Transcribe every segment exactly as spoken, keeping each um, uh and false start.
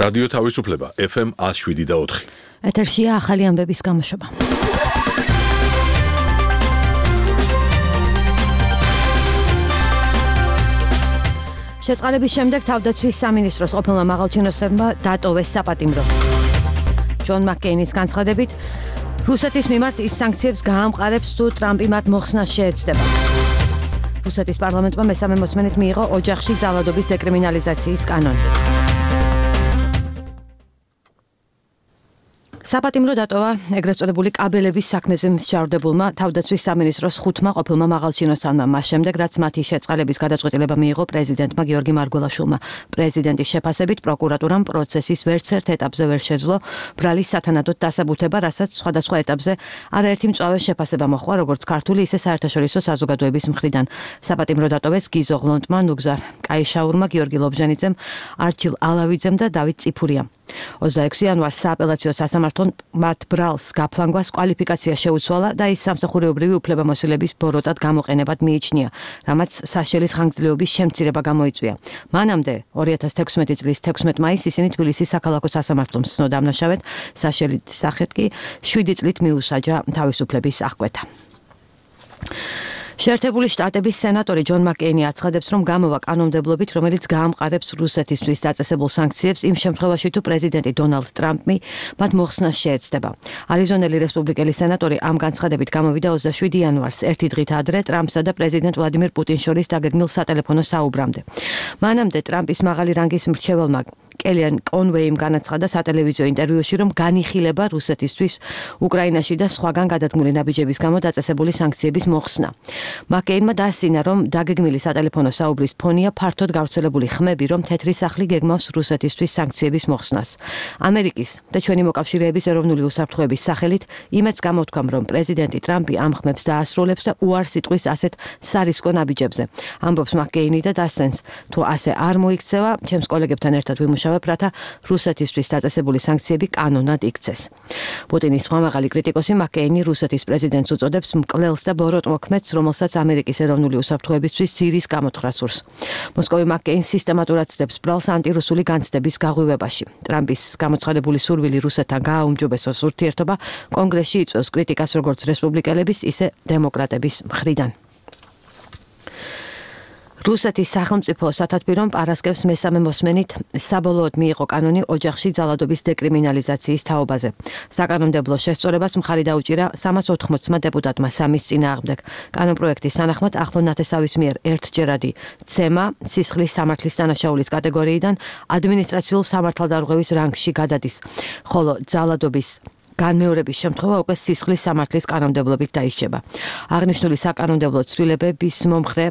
რადიო თავისუფლება ეფ ემ one oh seven და four. ეთერშია ახალი ამბების გამოშვება. შეწყალების შემდეგ თავდაცვის სამინისტროს ყოფილმა მაღალჩინოსებმა დატოვეს საპატიმრო. ჯონ მაკკეინის განცხადებით, რუსეთის მიმართ ის სანქციებს გაამყარებს, თუ ტრამპი მათ მოხსნას შეეცდება. რუსეთის პარლამენტმა მესამე მოსმენით მიიღო ოჯახში ძალადობის დეკრიმინალიზაციის კანონი. საპატიმრო დატოვა ეგრეთ წოდებული კაბელების საქმეზე მსჯავრდებულმა თავდაცვის სამინისტროს ხუთმა ყოფილმა მაღალჩინოსანმა მას შემდეგ, რაც მათი შეწყალების გადაწყვეტილება მიიღო პრეზიდენტმა გიორგი მარგველაშვილმა. პრეზიდენტის შეფასებით პროკურატურამ პროცესის ვერც ერთ ეტაპზე ვერ შეძლო ბრალის სათანადოდ დასაბუთება, რასაც სხვადასხვა ეტაპზე არაერთი მწვავე შეფასება მოჰყვა, როგორც ქართული, ისე საერთაშორისო საზოგადოების მხრიდან. საპატიმრო დატოვეს გიზო ღლონტმა, ნუგზარ კაიშაურმა, გიორგი ლობჟანიძემ, არჩილ ალავიძემ და დავით წიფურიამ. ოცდაექვსი იანვარს სააპელაციო სასამართლომ მათ ბრალს გაფლანგვას კვალიფიკაცია შეუცვალა და ის სამსახურეობრივი უფლებამოსილების ბოროტად გამოყენებად მიიჩნია, რამაც საშელის ხანგრძლივობის შემცირება გამოიწვია. მანამდე ორი ათას თექვსმეტი წლის თექვსმეტ მაისს ისინი თბილისის sakhalako სასამართლომ სცნო დამნაშავედ, საშელის სახით კი შვიდი წლით მიუსაჯა თავისუფლების აღკვეთა. შეერთებული შტატების სენატორი ჯონ მაკკეინი აცხადებს, რომ გამოვა კანონმდებლობით, რომელიც გაამყარებს რუსეთისთვის დაწესებულ სანქციებს იმ შემთხვევაში, თუ პრეზიდენტი დონალდ ტრამპი მათ მოხსნას შეეცდება. არიზონელი რესპუბლიკელი სენატორი ამ განცხადებით გამოვიდა ოცდაშვიდი იანვარს, ერთი დღით ადრე ტრამპსა და პრეზიდენტ ვლადიმირ პუტინს შორის დაგეგმილ სატელეფონო საუბრამდე. მანამდე ტრამპის მაღალი რანგის მრჩეველმა კელიან კონვეიმ განაცხადა სატელევიზიო ინტერვიუში, რომ განიხილება რუსეთისთვის უკრაინაში და სხვაგან გადადგმული ნაბიჯების გამო დაწესებული სანქციების მოხსნა. მაკკეინმა დაასინა, რომ დაგეგმილი სატელეფონო საუბრის ფონია ფართოდ გავრცელებული ხმები, რომ თეთრი სახლი გეგმავს რუსეთისთვის სანქციების მოხსნას. ამერიკის და ჩვენი მოკავშირეების ეროვნული უსაფრთხოების სახელით იმედს გამოთქვამ, რომ პრეზიდენტი ტრამპი ამ ხმებს დაასრულებს და უარს იტყვის ასეთ სარისკო ნაბიჯებზე. ამბობს მაკკეინი და დასცენს, თუ ასე არ მოიქცევა, ჩემს კოლეგებთან ერთად ვიმუშავებ, რათა რუსეთისთვის დაწესებული სანქციები კანონად იქცეს. პუტინის სხვა მაღალი კრიტიკოსი მაკკეინი რუსეთის პრეზიდენტს უწოდებს მკვლელს და ბოროტმოქმედს, რომელსაც ამერიკის ეროვნული უსაფრთხოებისთვის ძირის გამოთხრა სურს. მოსკოვი მაკკეინს სისტემატურად ცდებს ბრალს ანტირუსული განცდების გაღვივებაში. ტრამპის გამოცხადებული სურვილი რუსეთთან გააუმჯობესოს ურთიერთობა კონგრესში იწვევს კრიტიკას როგორც რესპუბლიკელების, ისე დემოკრატების მხრიდან. რუსეთის სახელმწიფო სათათბირომ პარასკევს მესამე მოსმენით საბოლოოდ მიიღო კანონი ოჯახში ძალადობის დეკრიმინალიზაციის თაობაზე. საკანონმდებლო შესწორებას მხარი დაუჭირა სამას ოთხმოცმა დეპუტატმა სამის წინააღმდეგ. კანონპროექტის თანახმად ახლო ნათესავის მიერ ერთჯერადი ცემა სისხლის სამართლის დანაშაულის კატეგორიიდან ადმინისტრაციულ სამართალდარღვევის რანგში გადადის, ხოლო ძალადობის განმეორების შემთხვევა უკვე სისხლის სამართლის კანონმდებლობით დაიშჩება. აღნიშნული საკანონმდებლო ცვლილებების მომხრე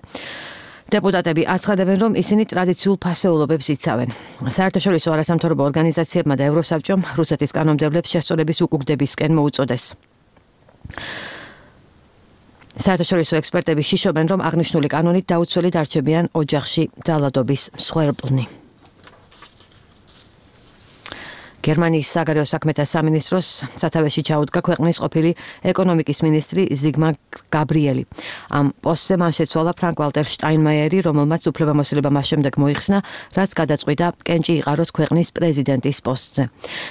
დეპუტატები აცხადებენ, რომ ისინი ტრადიციულ ფასეულობებს იცავენ. საერთაშორისო არასამთავრობო ორგანიზაციებმა და ევროსაბჭომ რუსეთის კანონმდებლებს შესწორების უკუგდებისკენ მოუწოდეს. საერთაშორისო ექსპერტები შიშობენ, რომ აღნიშნული კანონით დაუცველი დარჩებიან ოჯახში ძალადობის მსხვერპლნი. გერმანიის საგარეო საქმეთა სამინისტროს სათავეში ჩაუდგა ქვეყნის ყოფილი ეკონომიკის მინისტრი ზიგმარ გაბრიელი. ამ პოსტზე მან შეცვალა ფრანკ ვალტერ შტაინმაიერი, რომელმაც უფლებამოსილება მას შემდეგ მოიხსნა, რაც გადაწყვიტა კენჭი იყაროს ქვეყნის პრეზიდენტის პოსტზე.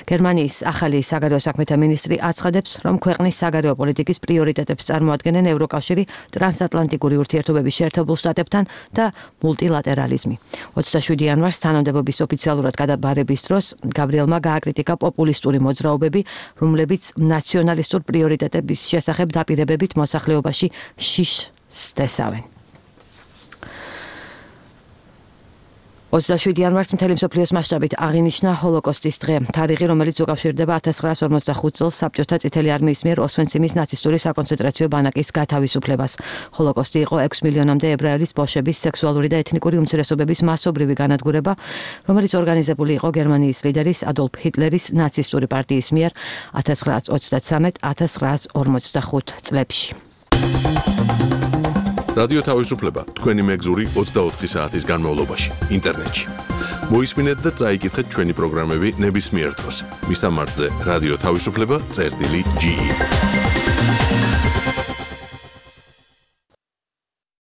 გერმანიის ახალი საგარეო საქმეთა მინისტრი აცხადებს, რომ ქვეყნის საგარეო პოლიტიკის პრიორიტეტებს წარმოადგენენ ევროკავშირი, ტრანსატლანტიკური ურთიერთობების შეერთებულ შტატებთან და მულტილატერალიზმი. ოცდაშვიდი იანვარს თანამდებობის ოფიციალურად გადაბარების დროს გაბრიელმა აკრიტიკა პოპულისტური მოძრაობები, რომლებიც ნაციონალისტურ პრიორიტეტების შესახებ დაპირებებით მოსახლეობაში შიშს დესავენ. ოცდაშვიდი იანვარს მთელი მსოფლიოს მასშტაბით აღინიშნა ჰოლოკოსტის დღე, თარიღი, რომელიც უკავშირდება ათას ცხრაას ორმოცდახუთ წელს საბჭოთა წითელი არმიის მიერ ოსვენციმის ნაცისტური საკონცენტრაციო ბანაკის გათავისუფლებას. ჰოლოკოსტი იყო ექვს მილიონამდე ებრაელის ბოშების სექსუალური და ეთნიკური უმცირესობების მასობრივი განადგურება, რომელიც ორგანიზებული იყო გერმანიის ლიდერის ადოლფ ჰიტლერის ნაცისტური პარტიის მიერ ათას ცხრაას ოცდათსამეტ - ათას ცხრაას ორმოცდახუთ წლებში. რადიო თავისუფლება თქვენი მეგზური ოცდაოთხი საათის განმავლობაში ინტერნეტში. მოისმინეთ და წაიკითხეთ ჩვენი პროგრამები ნებისმიერ დროს. მისამართზე რადიო თავისუფლება წერტილი ჯი ი.